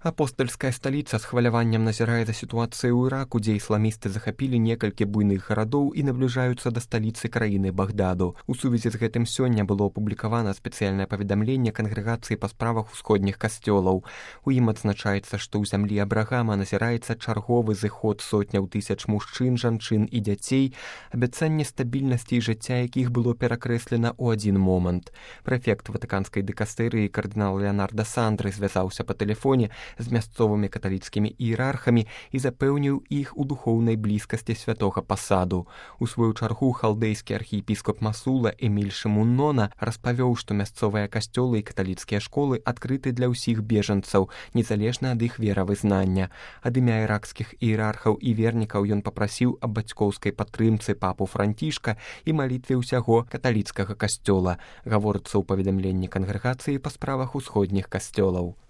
Апостальская сталіца з хваляваннем назірае за сітуацыяй у Іраку, дзе ісламісты захапілі некалькі буйных гарадоў і набліжаюцца да сталіцы краіны Багдаду. У сувязі з гэтым сёння было апублікавана спецыяльнае паведамленне кангрэгацыі па справах усходніх касцёлаў. У ім адзначаецца, што ў зямлі Абрагама назіраецца чарговы зыход сотняў тысяч мужчын, жанчын і дзяцей, абяцанне стабільнасці і жыцця якіх было перакрэслена ў адзін момант. Прэфект ватыканскай дыкастэрыі кардынал Леонарда Сандры звязаўся па тэлефоне з мясцовымі каталіцкімі іерархамі і запэўніў іх у духоўнай блізкасці святога пасаду. У сваю чаргу халдэйскі архіепіскоп Масула Эміль Шымуннона распавёў, што мясцовыя касцёлы і каталіцкія школы адкрыты для ўсіх бежанцаў, незалежна ад іх веравызнання. Ад імя іракскіх іерархаў і вернікаў ён папрасіў аб бацькоўскай падтрымцы папу Францішка і малітве ўсяго каталіцкага касцёла, гаворыцца ў паведамленні кангрэгацыі па справах усходніх касцёлаў.